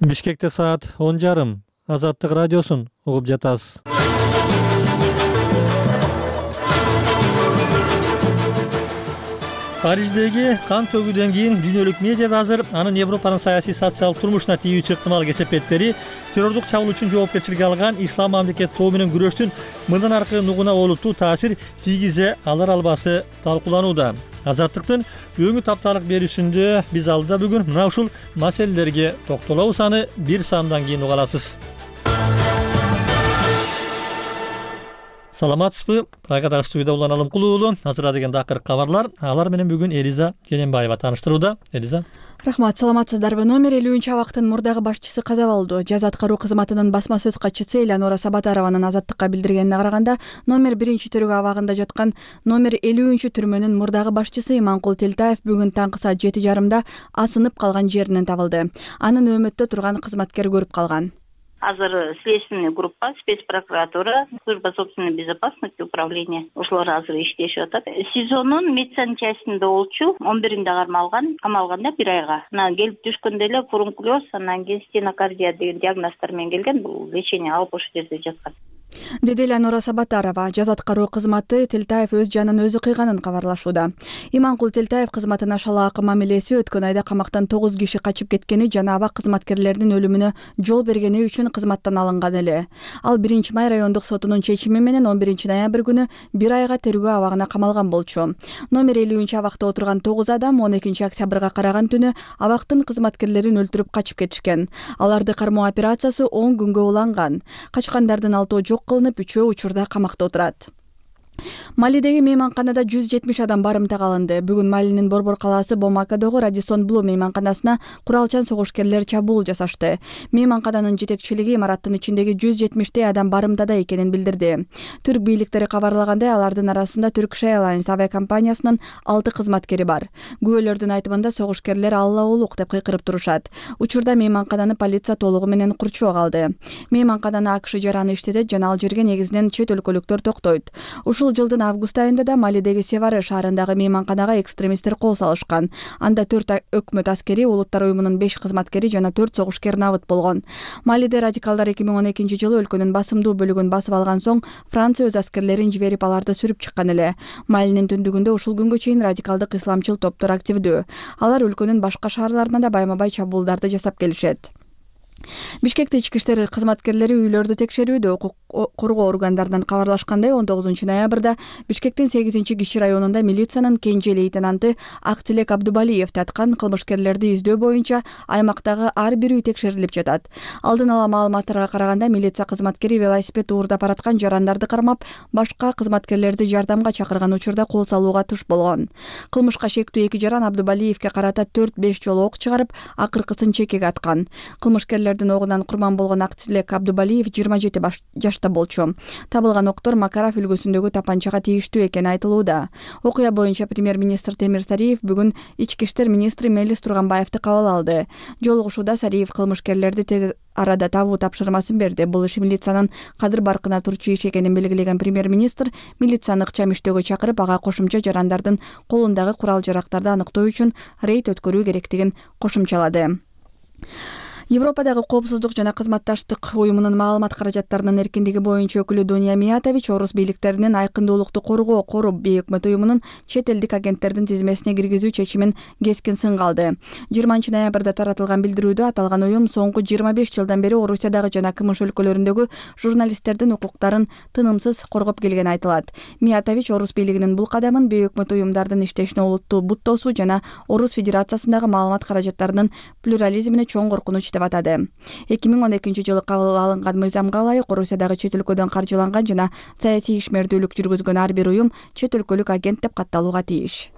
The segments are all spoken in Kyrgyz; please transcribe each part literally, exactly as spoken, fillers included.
Бишкекте саат он жарым. Азаттык радиосун угуп жатасыз. Париждеги кан төгүүдөн кийин дүйнөлүк медиада азыр анын Европанын саясий социалдык турмушуна тийүүчү ыктымал кесепеттери террордук чабуул үчүн жоопкерчиликке алган ислам мамлекет тобу менен күрөштүн мындан аркы нугуна олуттуу таасир тийгизе алар албасы талкууланууда. Азаттыктын өңү тапталык берүүсүндө биз алдыда бүгүн мына ушул маселелерге токтолобуз. Аны бир саамдан кийин уга аласыз. Саламатсызбы? Прагадагы студияда Улан Алымкул уулу. Азыр деген дакыр кабарлар. Алар менен бүгүн Элиза Кененбаева тааныштырууда. Элиза. Рахмат, саламатсыздарбы? Номер элүүнчү абактын мурдагы башчысы каза болду. Жаза аткаруу кызматынын басма сөз катчысы Элеонора Сабатарованын Азаттыкка билдиргенине караганда, номер биринчи төрөгү абагында жаткан номер элүүнчү түрмөнүн мурдагы башчысы Иманкул Телтаев бүгүн таңкы саат жети жарымда асынып калган жеринен табылды. Анын өмөттө турган кызматкер көрүп калган. Азыр следственный группа, спецпрокуратура, служба собственной безопасности, управление ошолор азыр иштешип атат. СИЗОнун медсанчастинде болчу, он биринде кармалган, камалганда бир айга. Анан келип түшкөндө эле фурункулез, анан кийин стенокардия деген диагноздор менен келген. Бул лечение алып ошол жерде жаткан. Деди Элеонора Сабатарова. Жаза аткаруу кызматы Телтаев өз жанын өзү кыйганын кабарлашууда. Иманкул Телтаев кызматына шалаакы мамилеси, өткөн айда камактан тогуз киши качып кеткени жана абак кызматкерлеринин өлүмүнө жол бергени үчүн кызматтан алынган эле. Ал биринчи май райондук сотунун чечими менен он биринчи ноябрь күнү бир айга тергөө абагына камалган болчу. Номер элүүнчү абакта отурган тогуз адам он экинчи октябрга караган түнү абактын кызматкерлерин өлтүрүп качып кетишкен. Аларды кармоо операциясы он күнгө уланган. Качкандардын алтоо жок кылынып, үчөө учурда камакта отурат. Малидеги мейманканада жүз жетимиш адам барымтага алынды. Бүгүн Малинин Борбор калаасы Бомакадогу Радисон Блу мейманканасына куралчан согушкерлер чабуул жасашты. Мейманкананын жетекчилиги имараттын ичиндеги жүз жетимиштей адам барымтада экенин билдирди. Түрк бийликтери кабарлагандай, алардын арасында Turkish Airlines авиакомпаниясынын алты кызматкери бар. Күбөлөрдүн айтымында согушкерлер Алла улук деп кыйкырып турушат. Учурда мейманкананы полиция толугу менен курчоого алды. Мейманкананы АКШ жараны иштетет жана ал жерге негизинен чет өлкөлүктөр токтойт. Ушул жылдын август айында да Малидеги Севары шаарындагы мейманканага экстремисттер кол салышкан. Анда төрт өкмөт аскери, улуттар уюмунун беш кызматкери жана төрт согушкер набыт болгон. Малиде радикалдар эки миң он экинчи жылы өлкөнүн басымдуу бөлүгүн басып алган соң Франция өз аскерлерин жиберип аларды сүрүп чыккан эле. Малинин түндүгүндө ушул күнгө чейин радикалдык исламчыл топтор активдүү. Алар өлкөнүн башка шаарларына да байма-бай чабуулдарды жасап келишет. Бишкекте ички иштер кызматкерлери үйлөрдү текшерүүдө. Укук коргоо органдарынан кабарлашкандай, он тогузунчу ноябрда Бишкектин сегизинчи киши районунда милициянын кенже лейтенанты Актилек Абдубалиев таткан кылмышкерлерди издөө боюнча аймактагы ар бир үй текшерилип жатат. Алдын ала маалыматтарга караганда, милиция кызматкери велосипед уурдап бараткан жарандарды кармап, башка кызматкерлерди жардамга чакырган учурда кол салууга туш болгон. Кылмышка шектүү эки жаран Абдубалиевке карата төрт беш жолу ок чыгарып, акыркысын чекеге аткан. Кылмышкерлердин огунан курман болгон Актилек Абдубалиев жыйырма жети жашта болчу. Табылган октор Макаров үлгүсүндөгү тапанчага тийиштүү экени айтылууда. Окуя боюнча премьер-министр Темир Сариев бүгүн ички иштер министри Мелис Турганбаевди кабыл алды. Жолугушууда Сариев кылмышкерлерди тез арада табуу тапшырмасын берди. Бул иш милициянын кадыр баркына турчу иш экенин белгилеген премьер-министр милицияны ыкчам иштөөгө чакырып, ага кошумча жарандардын колундагы курал-жарактарды аныктоо үчүн рейд өткөрүү керектигин кошумчалады. Европадагы коопсуздук жана кызматташтык уюмунун маалымат каражаттарынын эркиндиги боюнча өкүлү Дуня Миятович орус бийликтеринин айкындуулукту коргоо Коруб бейөкмөт уюмунун чет элдик агенттердин тизмесине киргизүү чечимин кескин сынга алды. жыйырманчы ноябрда таратылган билдирүүдө аталган уюм соңку жыйырма беш жылдан бери Орусиядагы жана КМШ өлкөлөрүндөгү журналисттердин укуктарын тынымсыз коргоп келгени айтылат. Миятович орус бийлигинин бул кадамын бейөкмөт уюмдардын иштешине олуттуу буттоосу жана Орус Федерациясындагы маалымат каражаттарынын плюрализмине чоң коркунуч деп атады. эки миң он экинчи жылы кабыл алынган мыйзамга ылайык Орусиядагы чет өлкөдөн каржыланган жана саясий ишмердүүлүк жүргүзгөн ар бир уюм чет өлкөлүк агент деп катталууга тийиш.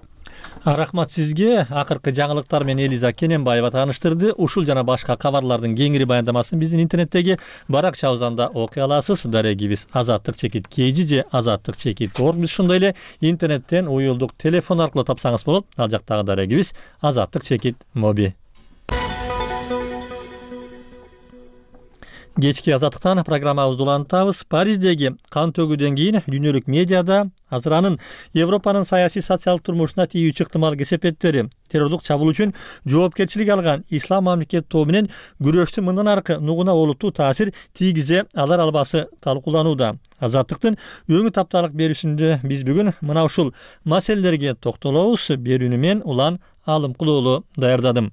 Рахмат сизге. Акыркы жаңылыктар менен Элиза Кененбаева тааныштырды. Ушул жана башка кабарлардын кеңири баяндамасын биздин интернеттеги баракчабыздан да окуй аласыз. Дарегибиз азаттык чекит kg же азаттык чекит org. Биз ошондой эле интернеттен уюлдук телефон аркылуу тапсаңыз болот. Ал жактагы дарегибиз азаттык чекит моби. Кечки азаттыктан программабызды улантабыз. Париждеги кан төгүүдөн кийин дүйнөлүк медиада азыр анын Европанын саясий социалдык турмушуна тийүүчү ыктымал кесепеттери, террордук чабуул үчүн жоопкерчилик алган ислам мамлекет тобу менен күрөштүн мындан аркы нугуна олуттуу таасир тийгизе алар албасы талкууланууда. Азаттыктын өңү тапталык берүүсүндө биз бүгүн мына ушул маселелерге токтолобуз. Берүүнү мен Улан Алымкулуулу даярдадым.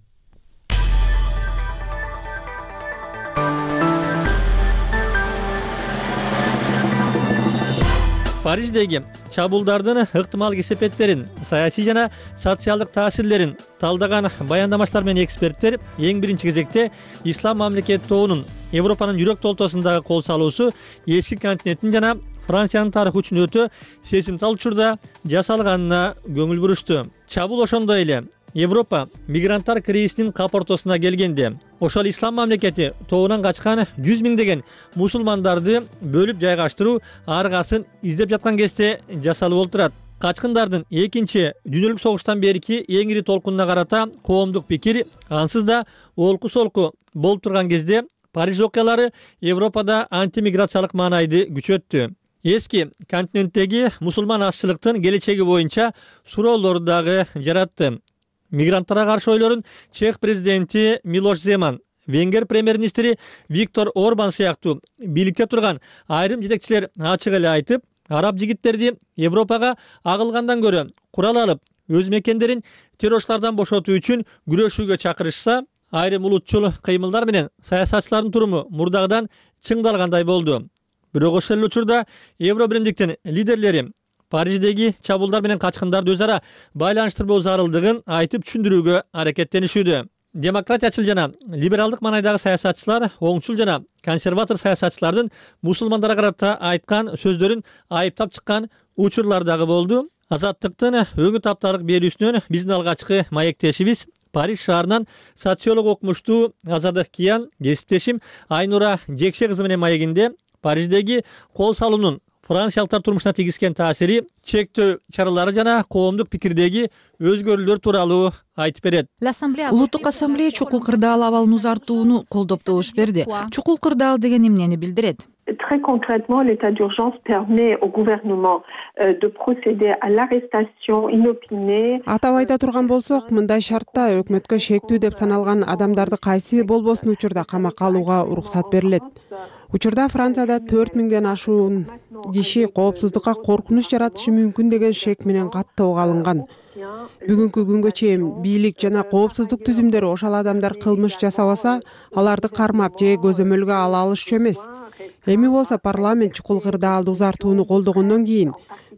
Париждеги чабуулдардын ыктымал кесепеттерин, саясий жана социалдык таасирлерин талдаган баяндамачылар менен эксперттер эң биринчи кезекте ислам мамлекет тобунун Европанын жүрөк толтосундагы кол салуусу эски континенттин жана Франциянын тарыхы үчүн өтө сезимтал учурда жасалганына көңүл бурушту. Чабуул ошондой эле Европа мигранттар кризисинин кап ортосуна келгенде ошол ислам мамлекети тобунан качкан жүз миңдеген мусулмандарды бөлүп жайгаштыруу аргасын издеп жаткан кезде жасалып олтурат. Качкындардын экинчи дүйнөлүк согуштан берки эң ири толкунуна карата коомдук пикир ансыз да олку солку болуп турган кезде Париж окуялары Европада антимиграциялык маанайды күчөттү. Эски континенттеги мусулман азчылыктын келечеги боюнча суроолорду дагы жаратты. Мигранттарга каршы ойлорун Чех президенти Милош Земан, Венгер премьер-министри Виктор Орбан сыяктуу бийликте турган айрым жетекчилер ачык эле айтып, араб жигиттерди Европага агылгандан көрө курал алып, өз мекендерин террорчулардан бошотуу үчүн күрөшүүгө чакырышса, айрым улутчул кыймылдар менен саясатчылардын туруму мурдагыдан чыңдалгандай болду. Бирок ошол эле учурда Евро биримдиктин лидерлери Париждеги чабуулдар менен качкындарды өз ара байланыштырбоо зарылдыгын айтып түшүндүрүүгө аракеттенишүүдө. Демократиячыл жана либералдык маанайдагы саясатчылар оңчул жана консерватор саясатчылардын мусулмандарга карата айткан сөздөрүн айыптап чыккан учурлар дагы болду. Азаттыктын өңү тапталык берүүсүнөн биздин алгачкы маектешибиз Париж шаарынан социолог окумуштуу Азадык Киян кесиптешим Айнура Жекше кызы менен маегинде Париждеги кол салуунун франциялыктар турмушуна тийгизген таасири, чектөө чаралары жана коомдук пикирдеги өзгөрүүлөр тууралуу айтып берет. Улуттук ассамблея чукул кырдаал абалын узартууну колдоп добуш берди. Чукул кырдаал деген эмнени билдирет? Très concrètement, l'état d'urgence permet au gouvernement euh, de procéder à l'arrestation inopinée. Атап айта турган болсок, мындай шартта өкмөткө шектүү деп саналган адамдарды кайсы болбосун учурда камакка алууга уруксат берилет. Учурда Францияда төрт миңден ашуун киши коопсуздукка коркунуч жаратышы мүмкүн деген шек менен каттоого алынган. Бүгүнкү күнгө чейин бийлик жана коопсуздук түзүмдөрү ошол адамдар кылмыш жасабаса, аларды кармап же көзөмөлгө ала алышчу эмес. Эми болсо парламент чукул кырдаалды узартууну колдогондон кийин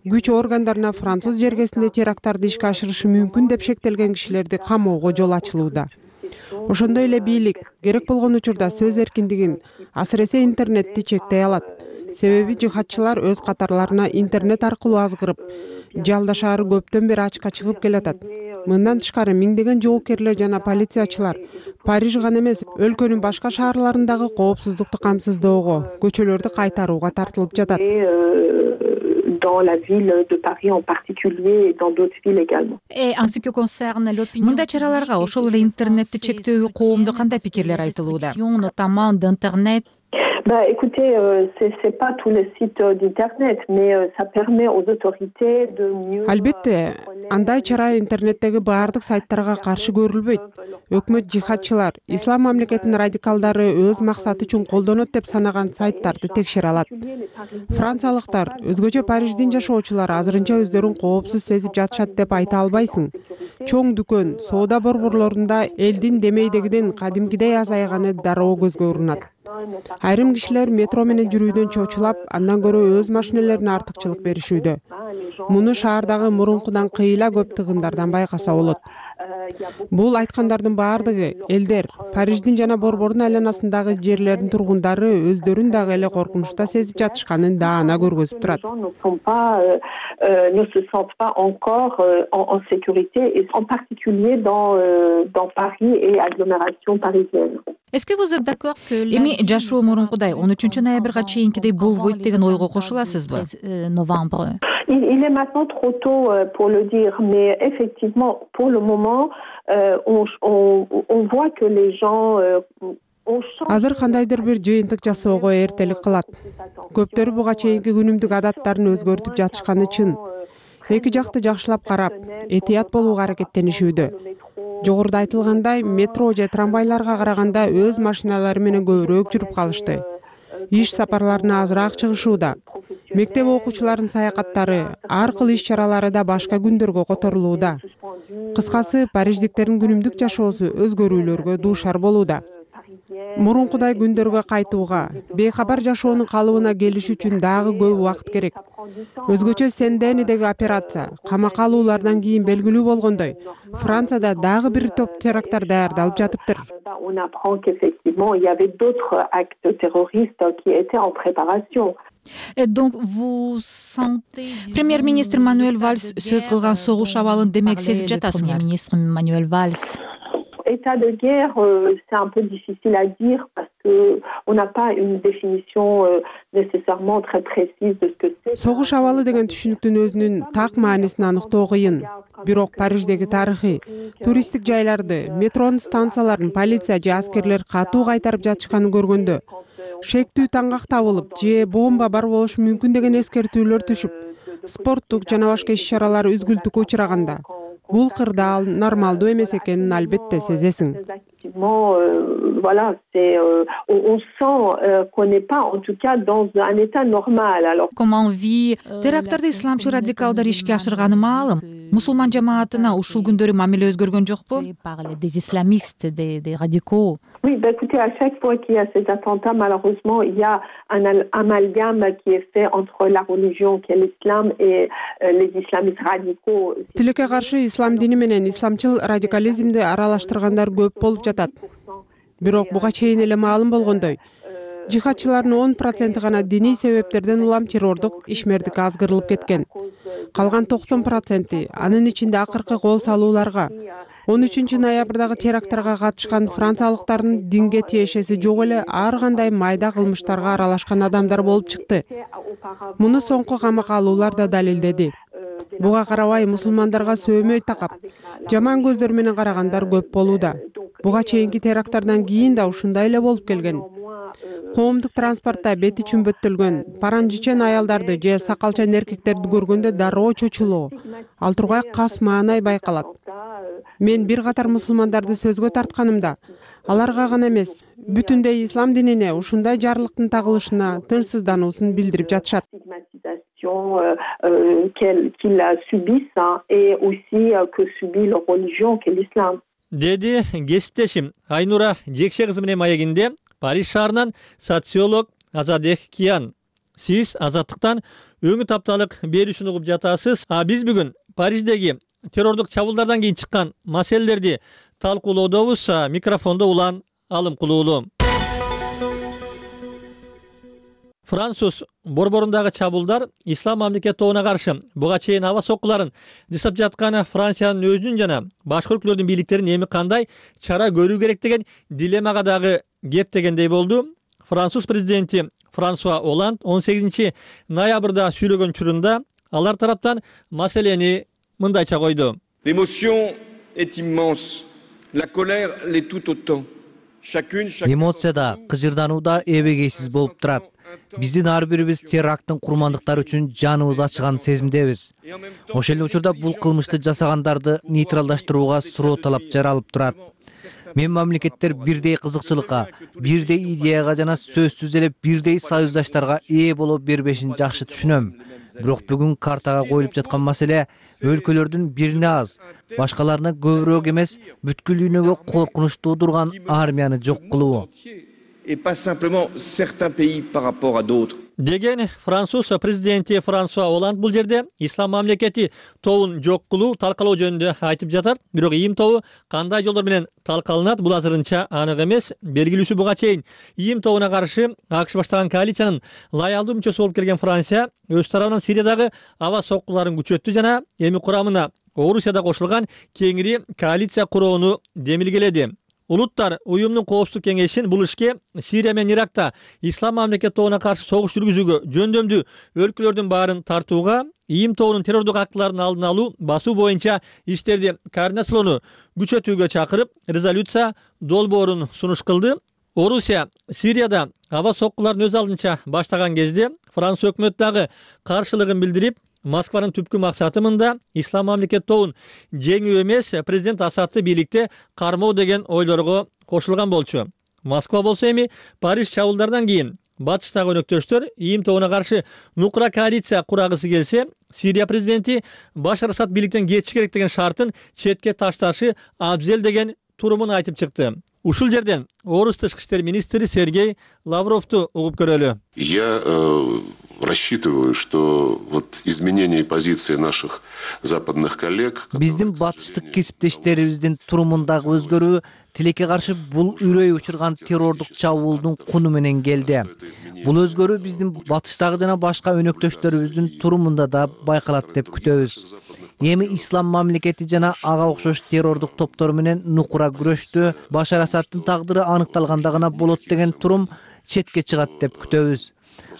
күч органдарына француз жергесинде теракттарды ишке ашырышы мүмкүн деп шектелген кишилерди камоого жол ачылууда. Ошондой эле бийлик керек болгон учурда сөз эркиндигин, асыресе интернетти чектей алат. Себеби жихадчылар өз катарларына интернет аркылуу азгырып, Жалда шаары көптөн бери ачка чыгып келатат. Мындан тышкары миңдеген жоокерлер жана полициячылар Париж гана эмес, өлкөнүн башка шаарларындагы коопсуздукту камсыздоого, көчөлөрдү кайтарууга тартылып жатат. Dans la ville de Paris en particulier et dans d'autres villes également. Мындай чараларга ошол эле интернетти чектөө коомдо кандай пикирлер айтылууда? Notamment d'internet. Bah, écoutez, euh, c'est, c'est pas tous les sites euh, d'internet, mais euh, ça permet aux autorités de mieux. Албетте, андай чара интернеттеги баардык сайттарга каршы көрүлбөйт. Өкмөт жихадчылар, ислам мамлекетинин радикалдары өз максаты үчүн колдонот деп санаган сайттарды текшере алат. Франциялыктар, өзгөчө Париждин жашоочулары азырынча өздөрүн коопсуз сезип жатышат деп айта албайсың. Чоң дүкөн, соода борборлорунда элдин демейдегиден кадимкидей азайганы дароо көзгө урунат. Айрым кишилер метро менен жүрүүдөн чочулап, андан көрө өз машинелерине артыкчылык беришүүдө. Муну шаардагы мурункудан кыйла көп тыгындардан байкаса болот. Бул айткандардын баардыгы элдер, Париждин жана борбордун айланасындагы жерлердин тургундары өздөрүн дагы эле коркунучта сезип жатышканын даана көргөзүп турат. Ne se sentent pas encore en sécurité, et en particulier dans dans Paris et agglomération parisienne. Est-ce que vous êtes d'accord que эми жашоо мурункудай он үчүнчү ноябрга чейинкидей болбойт деген ойго кошуласызбы? Novembre. Il, il est maintenant trop tôt pour le dire, mais effectivement, pour le moment, euh, on, on, on voit que les gens euh, азыр кандайдыр бир жыйынтык жасоого эртелик кылат. Көптөрү буга чейинки күнүмдүк адаттарын өзгөртүп жатышканы чын. Эки жакты жакшылап карап, этият болууга аракеттенишүүдө. Жогоруда айтылгандай, метро же трамвайларга караганда өз машиналары менен көбүрөөк жүрүп калышты. Иш сапарларына азыраак чыгышууда. Мектеп окуучуларынын саякаттары, ар кыл иш-чаралары да башка күндөргө которулууда. Кыскасы, париждиктердин күнүмдүк жашоосу өзгөрүүлөргө дуушар болууда. Мурункудай күндөргө кайтууга, бейхабар жашоонун калыбына келиш үчүн дагы көп убакыт керек. Өзгөчө Сен-Денидеги операция камакка алуулардан кийин белгилүү болгондой, Францияда дагы бир топ теракттар даярдалып жатыптыр. On apprend qu'effectivement, il y avait d'autres actes terroristes qui étaient en préparation. Премьер-министр Мануэль Вальс сөз кылган согуш абалын демек сезип жатасыңар. Министр Мануэль Вальс. État de guerre, euh, c'est un peu difficile à dire parce que on n'a pas une définition euh, nécessairement très précise de ce que c'est. Согуш абалы деген түшүнүктүн өзүнүн так маанисин аныктоо кыйын. Бирок Париждеги тарыхый, туристтик жайларды, метронун станцияларын полиция же аскерлер катуу кайтарып жатышканын көргөндө, шектүү таңгак табылып же бомба бар болушу мүмкүн деген эскертүүлөр түшүп, спорттук жана башка иш-чаралар үзгүлтүккө учураганда, бул кырдаал нормалдуу эмес экенин албетте сезесиң. Voilà, c'est euh, on, on sent euh, qu'on n'est pas en tout cas dans un état normal. Alors comment vit теракттарды исламчы радикалдар ишке ашырганы маалым. Мусулман жамаатына ушул күндөрү мамиле өзгөргөн жокпу? Des islamistes, des, des radicaux. Oui, bah écoutez, à chaque fois qu'il y a ces attentats, malheureusement, il y a un amalgame qui est fait entre la religion qui est l'islam et euh, les islamistes radicaux. Тилекке каршы ислам дини менен исламчыл радикализмди аралаштыргандар көп болуп жатат. Бирок буга чейин эле маалым болгондой, жихадчылардын он проценти гана диний себептерден улам террордук ишмердикке азгырылып кеткен. Калган токсон проценти анын ичинде акыркы кол салууларга, он үчүнчү ноябрдагы теракттарга катышкан франциялыктардын динге тиешеси жок эле ар кандай майда кылмыштарга аралашкан адамдар болуп чыкты. Муну соңку камакка алуулар да далилдеди. Буга карабай мусулмандарга сөөмөй такап, жаман көздөр менен карагандар көп болууда. Буга чейинки теракттардан кийин да ушундай эле болуп келген. Коомдук транспортто бети чүмбөттөлгөн, паранжичен аялдарды же сакалчан эркектерди көргөндө дароо чочулоо, ал тургай кас маанай байкалат. Мен бир катар мусулмандарды сөзгө тартканымда, аларга гана эмес, бүтүндөй ислам динине ушундай жарлыктын тагылышына тынчсыздануусун билдирип жатышат. Qu'ils subissent et aussi que subit leur religion qui est l'islam. Деди кесиптешим Айнура Жекше кызы менен маегинде Париж шаарынан социолог Азадек Киян. Сиз азаттыктан өңү тапталык берүүсүн угуп жатасыз. А биз бүгүн Париждеги террордук чабуулдардан кийин чыккан маселелерди талкуулоодобуз. Микрофондо улан алым кулуулу. Француз борборундагы чабуулдар ислам мамлекет тобуна каршы буга чейин аба соккуларын жасап жаткан Франциянын өзүнүн жана башка өлкөлөрдүн бийликтеринин эми кандай чара көрүү керек деген дилеммага дагы кеп дегендей болду. Француз президенти Франсуа Оланд он сегизинчи ноябрда сүйлөгөн учурунда алар тараптан маселени мындайча койду. L'émotion est immense. La colère l'est tout autant. Эмоция да, кыжырдануу да эбегейсиз болуп турат. Биздин ар бирибиз теракттын курмандыктары үчүн жаныбыз ачыган сезимдебиз. Ошол эле учурда бул кылмышты жасагандарды нейтралдаштырууга суроо талап жаралып турат. Мен мамлекеттер бирдей кызыкчылыкка, бирдей идеяга жана сөзсүз эле бирдей союздаштарга ээ боло бербешин жакшы түшүнөм. Бирок бүгүн картага коюлуп жаткан маселе өлкөлөрдүн бирине аз, башкаларына көбүрөөк эмес, бүткүлдүгүнө коркунуч туудурган армияны жок кылуу. Et pas simplement certains pays par rapport à d'autres. Деген Француз президенти Франсуа Оланд бул жерде ислам мамлекети тобун жок кылуу талкалоо жөнүндө айтып жатат. Бирок ИИМ тобу кандай жолдор менен талкаланат, бул азырынча анык эмес. Белгилүүсү буга чейин ИИМ тобуна каршы АКШ баштаган коалициянын лаялдуу мүчөсү болуп келген Франция өз тарабынан Сириядагы аба соккуларын күчөттү жана эми курамына Орусия да кошулган кеңири коалиция курууну демилгеледи. Улуттар уюмдун коопсуздук кеңешин бул ишке Сирия менен Иракта ислам мамлекет тобуна каршы согуш жүргүзүүгө жөндөмдүү өлкөлөрдүн баарын тартууга, ИИМ тобунун террордук актылардын алдын алуу, басуу боюнча иштерди координациялоону күчөтүүгө чакырып, резолюция долбоорун сунуш кылды. Орусия Сирияда аба соккуларын өз алдынча баштаган кезде Франция өкмөтү дагы каршылыгын билдирип, Москванын түпкү максаты мында ислам мамлекет тобун жеңүү эмес, президент Асадты бийликте кармоо деген ойлорго кошулган болчу. Москва болсо эми Париж чабуулдарынан кийин батыштагы өнөктөштөр ИИМ тобуна каршы нукура коалиция курагысы келсе, Сирия президенти Башар Асад бийликтен кетиши керек деген шартын четке ташташы абзел деген турумун айтып чыкты. Ушул жерден орус тышкы иштер министри Сергей Лавровду угуп көрөлү. Я э, рассчитываю, что вот изменение позиции наших западных коллег. Биздин батыштык кесиптештерибиздин турумундагы өзгөрүү тилекке каршы бул үрөй учурган террордук чабуулдун куну менен келди. Бул өзгөрүү биздин батыштагы жана башка өнөктөштөрүбүздүн турумунда да байкалат деп күтөбүз. Эми ислам мамлекети жана ага окшош террордук топтор менен нукура күрөштү Башар Асадтын тагдыры аныкталганда гана болот деген турум четке чыгат деп күтөбүз.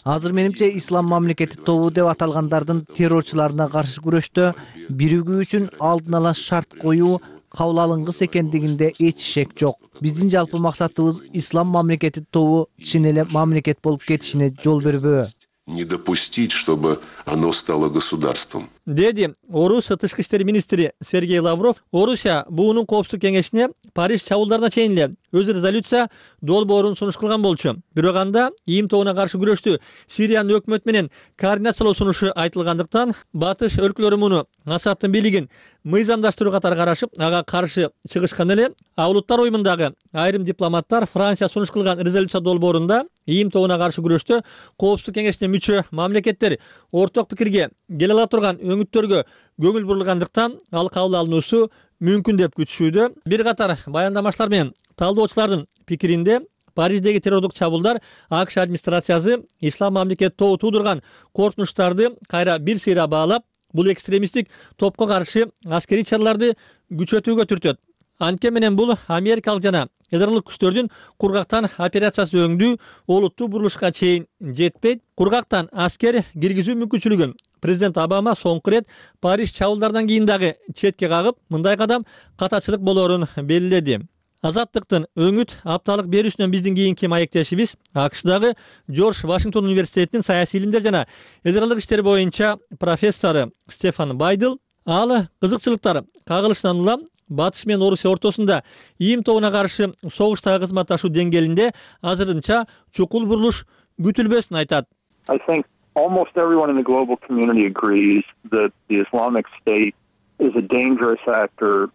Азыр менимче ислам мамлекети тобу деп аталгандардын террорчуларына каршы күрөштө биригүү үчүн алдын ала шарт коюу кабыл алынгыс экендигинде эч шек жок. Биздин жалпы максатыбыз ислам мамлекети тобу чын эле мамлекет болуп кетишине жол бербөө. Не допустить, чтобы оно стало государством. Деди орус тышкы иштер министри Сергей Лавров. Орусия буунун коопсуздук кеңешине Париж чабуулдарына чейин эле өз резолюция долбоорун сунуш кылган болчу. Бирок анда ИИМ тобуна каршы күрөштү Сириянын өкмөтү менен координациялоо сунушу айтылгандыктан батыш өлкөлөрү муну Асадтын бийлигин мыйзамдаштыруу катары карашып, ага каршы чыгышкан эле. А улуттар уюмундагы айрым дипломаттар Франция сунуш кылган резолюция долбоорунда ИИМ тобуна каршы күрөштө коопсуздук кеңешине мүчө мамлекеттер орток пикирге келе ала турган өңүттөргө көңүл бурулгандыктан ал кабыл алынуусу мүмкүн деп күтүшүүдө. Бир катар баяндамачылар менен талдоочулардын пикиринде Париждеги террордук чабуулдар АКШ администрациясы ислам мамлекет тобу туудурган коркунучтарды кайра бир сыйра баалап, бул экстремисттик топко каршы аскерий чараларды күчөтүүгө түртөт. Анткени менен бул америкалык жана ядролук күчтөрдүн кургактан операциясы өңдүү олуттуу бурулушка чейин жетпейт. Кургактан аскер киргизүү мүмкүнчүлүгүн президент Обама соңку рет Париж чабуулдарынан кийин дагы четке кагып, мындай кадам катачылык болоорун белгиледи. Азаттыктын өңүт апталык берүүсүнөн биздин кийинки маектешибиз АКШдагы Жорж Вашингтон университетинин саясий илимдер жана ядролук иштер боюнча профессору Стефан Байдл. Ал кызыкчылыктар кагылышынан улам Батыш менен Орусия ортосунда ИИМ тобуна каршы согуштагы кызматташуу деңгээлинде азырынча чукул бурулуш күтүлбөсүн айтат. I think almost everyone in the global community agrees that the Islamic State is a dangerous actor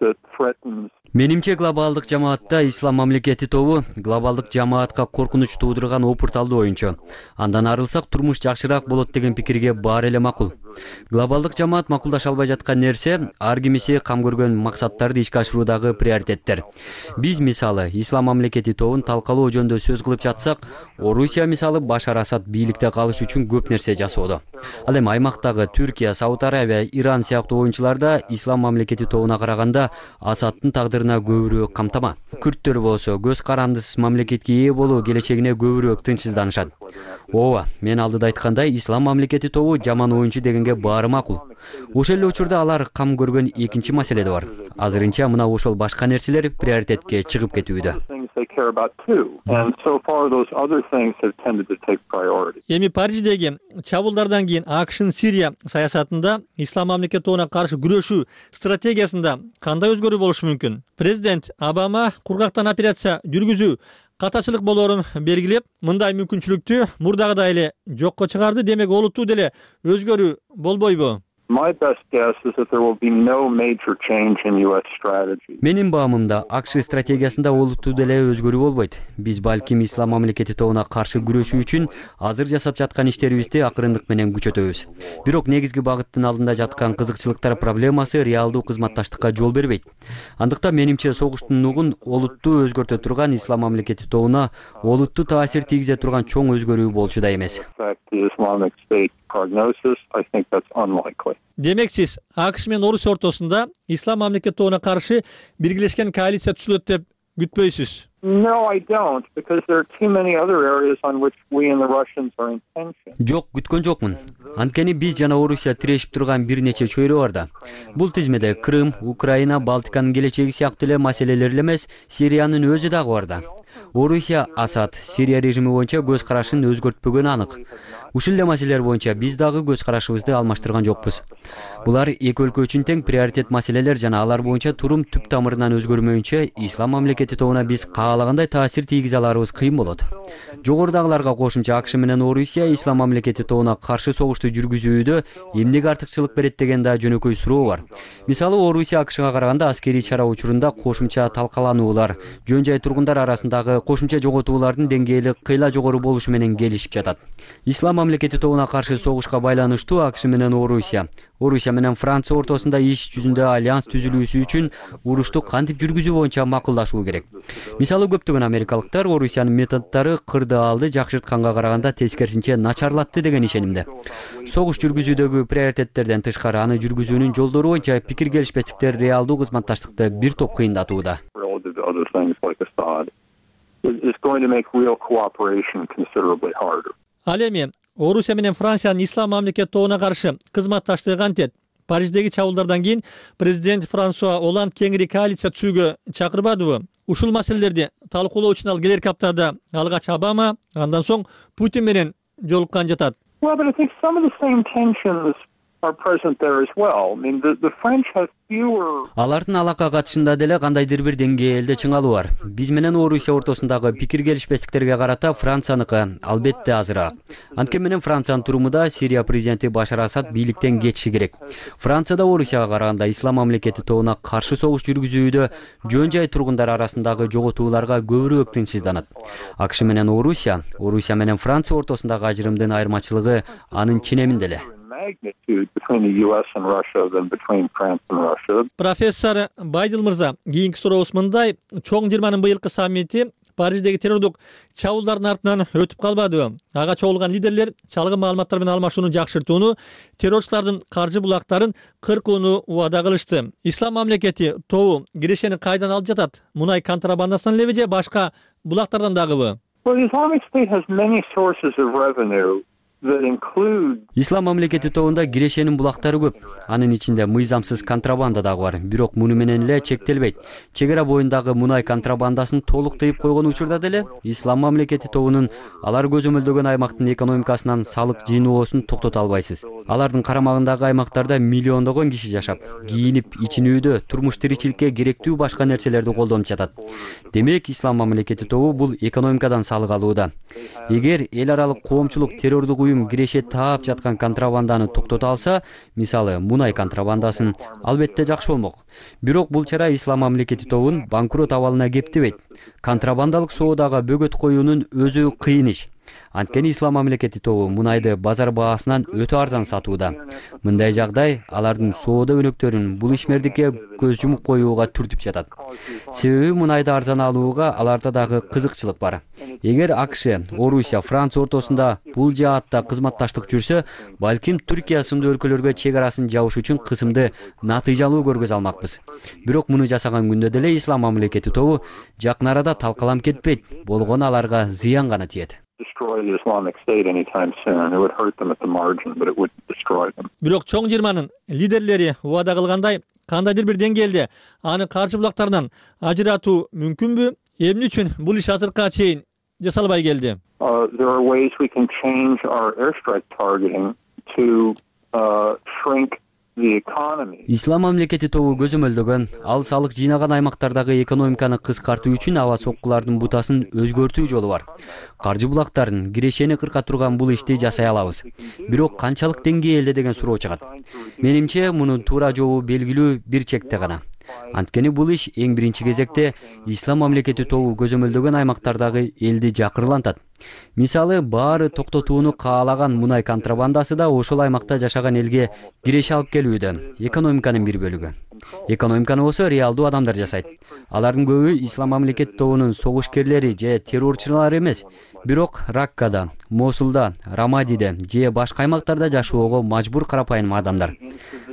that threatens. Менимче глобалдык жамаатта ислам мамлекети тобу глобалдык жамаатка коркунуч туудурган опурталдуу оюнчу. Андан арылсак турмуш жакшыраак болот деген пикирге баар эле макул. Глобалдык жамаат макулдаша албай жаткан нерсе ар кимиси кам көргөн максаттарды ишке ашыруудагы приоритеттер. Биз мисалы ислам мамлекети тобун талкалоо жөнүндө сөз кылып жатсак, Орусия мисалы Башар Асад бийликте калыш үчүн көп нерсе жасоодо. Ал эми аймактагы Түркия, Сауд Арабия, Иран сыяктуу оюнчуларда ислам мамлекети тобуна караганда Асадтын тагдырына көбүрөөк камтама. Күрттөр болсо көз карандысыз мамлекетке ээ болуу келечегине көбүрөөк тынчсызданышат. Ооба, мен алдыда айткандай ислам мамлекети тобу жаман оюнчу дегенге баары макул. Ошол эле учурда алар кам көргөн экинчи маселе да бар. Азырынча мына ошол башка нерселер приоритетке чыгып кетүүдө. Эми Париждеги чабуулдардан кийин АКШнын Сирия саясатында ислам мамлекет тобуна каршы күрөшүү стратегиясында кандай өзгөрүү болушу мүмкүн? Президент Обама кургактан операция жүргүзүү катачылык болоорун белгилеп, мындай мүмкүнчүлүктү мурдагыдай эле жокко чыгарды. Демек олуттуу деле өзгөрүү болбойбу? My best guess is that there will be no major change in U S strategy. Менин баамымда АКШ стратегиясында олуттуу деле өзгөрүү болбойт. Биз балким ислам мамлекети тобуна каршы күрөшүү үчүн азыр жасап жаткан иштерибизди акырындык менен күчөтөбүз. Бирок негизги багыттын алдында жаткан кызыкчылыктар проблемасы реалдуу кызматташтыкка жол бербейт. Андыктан менимче согуштун нугун олуттуу өзгөртө турган ислам мамлекети тобуна олуттуу таасир тийгизе турган чоң өзгөрүү болчу да эмес. Prognosis, I think that's unlikely. Демек сиз АКШ менен Орусия ортосунда ислам мамлекет тобуна каршы биргелешкен коалиция түзүлөт деп күтпөйсүз? No, I don't, because there are too many other areas on which we and the Russians are in tension. Жок, күткөн жокмун. Анткени биз жана Орусия тирешип турган бир нече чөйрө бар да. Бул тизмеде Крым, Украина, Балтиканын келечеги сыяктуу эле маселелер эле эмес, Сириянын өзү дагы бар да. Орусия Асад Сирия режими боюнча көз карашын өзгөртпөгөнү анык. Ушул эле маселелер боюнча биз дагы көз карашыбызды алмаштырган жокпуз. Булар эки өлкө үчүн тең приоритет маселелер жана алар боюнча турум түп тамырынан өзгөрмөйүнчө ислам мамлекети тобуна биз каалагандай таасир тийгизе аларыбыз кыйын болот. Жогорудагыларга кошумча АКШ менен Орусия ислам мамлекети тобуна каршы согушту жүргүзүүдө эмнеге артыкчылык берет деген да жөнөкөй суроо бар. Мисалы Орусия АКШга караганда аскерий чара учурунда кошумча талкалануулар, жөн жай тургундар арасындагы кошумча жоготуулардын деңгээли кыйла жогору болушу менен келишип жатат. Ислам мамлекети тобуна каршы согушка байланыштуу АКШ менен Орусия, Орусия менен Франция ортосунда иш жүзүндө альянс түзүлүүсү үчүн урушту кантип жүргүзүү боюнча макулдашуу керек. Мисалы көптөгөн америкалыктар Орусиянын методдору кырды алды жакшыртканга караганда тескерисинче начарлатты деген ишенимде. Согуш жүргүзүүдөгү приоритеттерден тышкары аны жүргүзүүнүн жолдору боюнча пикир келишпестиктер реалдуу кызматташтыкты бир топ кыйындатууда. Ал эми Орусия менен Франциянын ислам мамлекети тобуна каршы кызматташтыгы кантет? Париждеги чабуулдардан кийин президент Франсуа Оланд кеңири коалиция түзүүгө чакырбадыбы? Ушул маселелерди талкуулоо үчүн ал келерки аптада алгач Обама, андан соң Путин менен жолуккан жатат. Алардын алака катышында деле кандайдыр бир деңгээлде чыңалуу бар. Биз менен Орусия ортосундагы пикир келишпестиктерге карата Францияныкы албетте азыраак. Анткени менен Франциянын турумунда Сирия президенти Башар Асад бийликтен кетиши керек. Францияда Орусияга караганда ислам мамлекети тобуна каршы согуш жүргүзүүдө жөн жай тургундар арасындагы жоготууларга көбүрөөк тынчсызданат. АКШ менен Орусия, Орусия менен Франция ортосундагы ажырымдын айырмачылыгы анын ченеминде эле. Профессор Байдыл мырза, кийинки сурообуз мындай: чоң жыйырманын быйылкы саммити Париждеги террордук чабуулдардын артынан өтүп калбадыбы? Ага чогулган лидерлер чалгын маалыматтар менен алмашууну жакшыртууну, террорчулардын каржы булактарын кыркууну убада кылышты. Ислам мамлекети тобу кирешени кайдан алып жатат? Мунай контрабандасынан элеби же башка булактардан дагыбы? Ислам мамлекети тобунда кирешенин булактары көп. Анын ичинде мыйзамсыз контрабанда дагы бар. Бирок муну менен эле чектелбейт. Чек ара боюндагы мунай контрабандасын толук тыйып койгон учурда деле ислам мамлекети тобунун алар көзөмөлдөгөн аймактын экономикасынан салык жыйноосун токтото албайсыз. Алардын карамагындагы аймактарда миллиондогон киши жашап, кийинип, ичинүүдө, турмуш тиричиликке керектүү башка нерселерди колдонуп жатат. Демек, ислам мамлекети тобу бул экономикадан салык алууда. Эгер эл аралык коомчулук террордук уюм киреше таап жаткан контрабанданы токтото алса, мисалы мунай контрабандасын, албетте жакшы болмок. Бирок бул чара ислам мамлекети тобун банкрот абалына кептебейт. Контрабандалык соодага бөгөт коюунун өзү кыйын иш. Анткени ислам мамлекети тобу мунайды базар баасынан өтө арзан сатууда. Мындай жагдай алардын соода өнөктөрүн бул ишмердикке көз жумуп коюуга түртүп жатат. Себеби мунайды арзан алууга аларда дагы кызыкчылык бар. Эгер АКШ, Орусия, Франция ортосунда бул жаатта кызматташтык жүрсө, балким Түркия сымдуу өлкөлөргө чек арасын жабыш үчүн кысымды натыйжалуу көргөзө алмакпыз. Бирок муну жасаган күндө деле ислам мамлекети тобу жакын арада талкаланып кетпейт, болгону аларга зыян гана тиет. Бирок чоң жыйырманын лидерлери убада кылгандай, кандайдыр бир деңгээлде аны каршы булактардан ажыратуу мүмкүнбү? Эмне үчүн бул иш азыркыга чейин жасалбай келди? Ислам мамлекети тобу көзөмөлдөгөн, ал салык жыйнаган аймактардагы экономиканы кыскартуу үчүн аба соккулардын бутасын өзгөртүү жолу бар. Каржы булактарын, кирешени кырка турган бул ишти жасай алабыз. Бирок канчалык деңгээлде деген суроо чыгат. Менимче, мунун туура жообу белгилүү бир чекте гана. Анткени бул иш эң биринчи кезекте ислам мамлекети тобу көзөмөлдөгөн аймактардагы элди жакырлантат. Мисалы, баары токтотууну каалаган мунай контрабандасы да ошол аймакта жашаган элге киреше алып келүүдө, экономиканын бир бөлүгү. Экономиканы болсо реалдуу адамдар жасайт. Алардын көбү ислам мамлекети тобунун согушкерлери же террорчулары эмес, бирок Раккада, Мосулда, Рамадиде же башка аймактарда жашоого мажбур карапайым адамдар.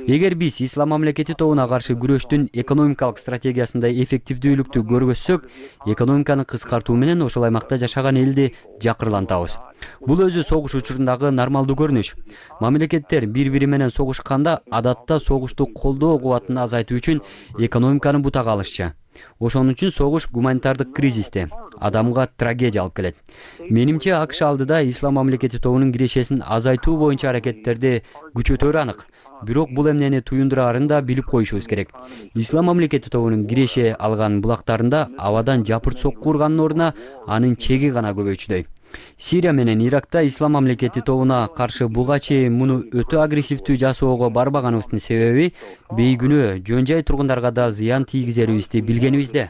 Эгер биз ислам мамлекети тобуна каршы күрөштүн экономикалык стратегиясында эффективдүүлүктү көргөзсөк, экономиканы кыскартуу менен ошол аймакта жашаган элди жакырлантабыз. Бул өзү согуш учурундагы нормалдуу көрүнүш. Мамлекеттер бири-бири менен согушканда адатта согушту колдоо кубатын азайт азайтуу үчүн экономиканы бутага алышчу. Ошон үчүн согуш гуманитардык кризисте, адамга трагедия алып келет. Менимче АКШ алдыда Ислам мамлекети тобунун кирешесин азайтуу боюнча аракеттерди күчөтөрү анык. Бирок бул эмнени туюндураарын да билип коюшубуз керек. Ислам мамлекети тобунун киреше алган булактарында абадан жапырт сокку урганын ордуна анын чеги гана көбөйчүдөй. Сирия менен Иракта Ислам мамлекети тобуна каршы буга чейин муну өтө агрессивдүү жасоого барбаганыбыздын себеби бейгүнөө жөн жай тургундарга да зыян тийгизерибизди билгенибизде.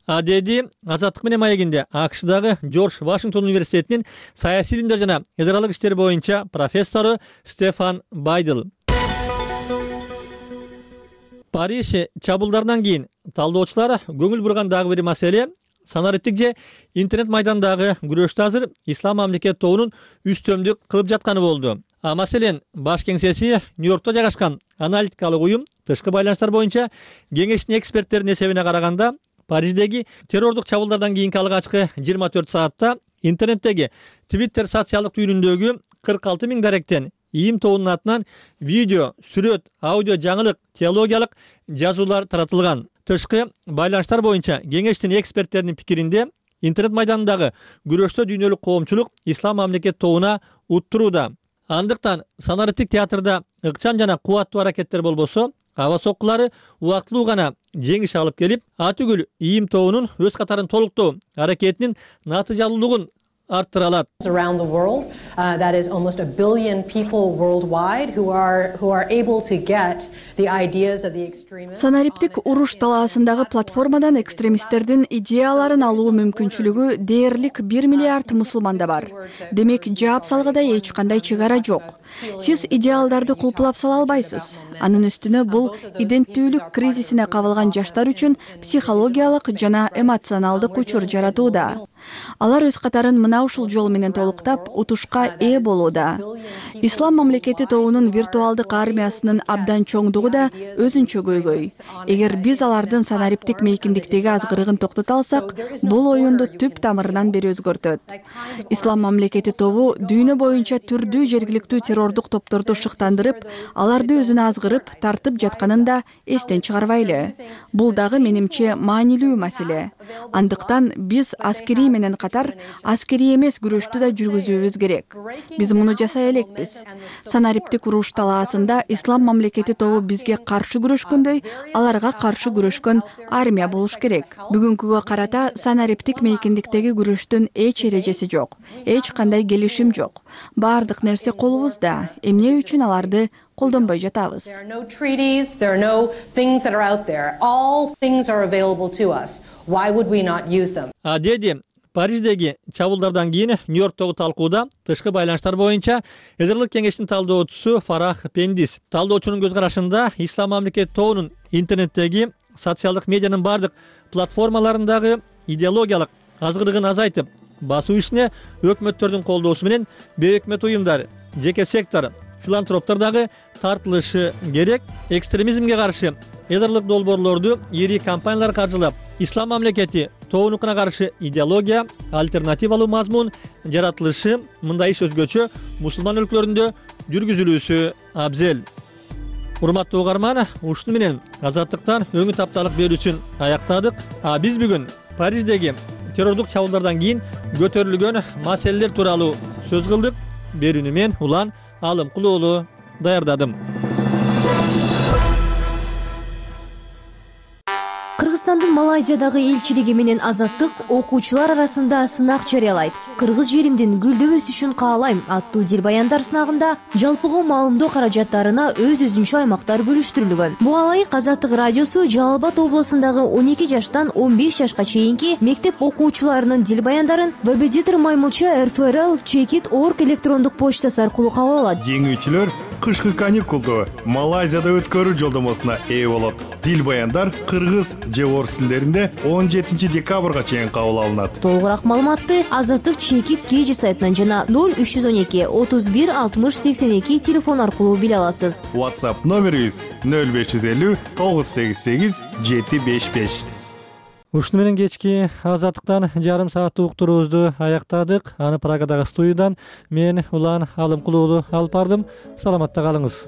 А деди Азаттык менен маегинде АКШдагы Жорж Вашингтон университетинин саясий илимдер жана эс аралык иштер боюнча профессору Стефан Байдл. Париж чабуулдарынан кийин талдоочулар көңүл бурган дагы бир маселе санариптик же интернет майдандагы күрөштө азыр Ислам мамлекет тобунун үстөмдүк кылып жатканы болду. А маселен баш кеңсеси Нью-Йоркто жайгашкан аналитикалык уюм тышкы байланыштар боюнча кеңештин эксперттеринин эсебине караганда Париждеги террордук чабуулдардан кийинки алгачкы жыйырма төрт саатта интернеттеги Twitter социалдык түйүнүндөгү кырк алты миң даректен ИИМ тобунун атынан видео, сүрөт, аудио жаңылык, теологиялык жазуулар таратылган. Тышкы байланыштар боюнча кеңештин эксперттеринин пикиринде интернет майданындагы күрөштө дүйнөлүк коомчулук Ислам мамлекет тобуна уттурууда. Андыктан санариптик театрда ыкчам жана кубаттуу аракеттер болбосо, аба соккулары убактылуу гана жеңиш алып келип, атүгүл ИИМ тобунун өз катарын толуктоо аракетинин натыйжалуулугун арттыра алат. Around the world, uh, that is almost a billion people worldwide who are who are able to get the ideas of the extremists. Санариптик уруш талаасындагы платформадан экстремисттердин идеяларын алуу мүмкүнчүлүгү дээрлик бир миллиард мусулманда бар. Демек, жаап салгыда эч кандай чек ара жок. Сиз идеалдарды кулпулап сала албайсыз. Анын үстүнө бул иденттүүлүк кризисине кабылган жаштар үчүн психологиялык жана эмоционалдык учур жаратууда. Алар өз катарын мына ушул жол менен толуктап, утушка ээ болууда. Ислам мамлекети тобунун виртуалдык армиясынын абдан чоңдугу да өзүнчө көйгөй. Эгер биз алардын санариптик мейкиндиктеги азгырыгын токтото алсак, бул оюнду түп тамырынан бери өзгөртөт. Ислам мамлекети тобу дүйнө боюнча түрдүү жергиликтүү террордук топторду шыктандырып, аларды өзүнө азгырып, тартып жатканын да эстен чыгарбайлы. Бул дагы менимче маанилүү маселе. Андыктан биз аскери менен катар аскери эмес күрөштү да жүргүзүүбүз керек. Биз муну жасай элекпиз. Санариптик уруш талаасында Ислам мамлекети тобу бизге каршы күрөшкөндөй, аларга каршы күрөшкөн армия болуш керек. Бүгүнкүгө карата санариптик мейкиндиктеги күрөштүн эч эрежеси жок, эч кандай келишим жок. Баардык нерсе колубузда. Эмне үчүн аларды колдонбой жатабыз? There are no treaties, there are no things that are out there. All things are available to us. Why would we not use them? А деди Париждеги чабуулдардан кийин Нью-Йорктогу талкууда тышкы байланыштар боюнча Эзерлик кеңештин талдоочусу Фарах Пендис. Талдоочунун көз карашында Ислам мамлекети тобунун интернеттеги социалдык медианын бардык платформаларындагы идеологиялык азгырыгын азайтып, басуу ишине өкмөттөрдүн колдоосу менен бейөкмөт уюмдар, жеке сектор, филантроптор дагы тартылышы керек. Экстремизмге каршы эдарлык долбоорлорду ири компаниялар каржылап, Ислам мамлекети тобунукуна каршы идеология, альтернативалуу мазмун жаратылышы, мындай иш өзгөчө мусулман өлкөлөрүндө жүргүзүлүүсү абзел. Урматтуу угарман, ушуну менен Азаттыктан өңү тапталык берүүсүн аяктадык. А биз бүгүн Париждеги террордук чабуулдардан кийин көтөрүлгөн маселелер тууралуу сөз кылдык. Берүүнү мен Улан Алымкулуу даярдадым. Кыргызстандын Малайзиядагы элчилиги менен Азаттык окуучулар арасында сынак жарыялайт. Кыргыз жеримдин гүлдөп өсүшүн каалайм аттуу дилбаяндар сынагында жалпыга маалымдоо каражаттарына өз-өзүнчө аймактар бөлүштүрүлгөн. Буга ылайык Азаттык радиосу Жалал Абад облусундагы он эки жаштан он беш жашка чейинки мектеп окуучуларынын дилбаяндарын Вебедитер Маймылча эр эф эр эл чекит точка орг электрондук почтасы аркылуу кабыл алат. Жеңүүчүлөр кышкы каникулду Малайзияда өткөрүү жолдомосуна ээ болот. Дилбаяндар кыргыз же орус тилдеринде он жетинчи декабрга чейин кабыл алынат. Толугураак маалыматты Азаттык чекит кж сайтынан жана ноль үч жүз он эки отуз бир алтымыш сексен эки телефон аркылуу биле аласыз. WhatsApp номерибиз ноль беш жүз элүү тогуз сегиз сегиз жети беш беш. Ушуну менен кечки Азаттыктан жарым сааттык уктуруубузду аяктадык. Аны Прагадагы студиядан мен Улан Алымкулуу алып бардым. Саламатта калыңыз.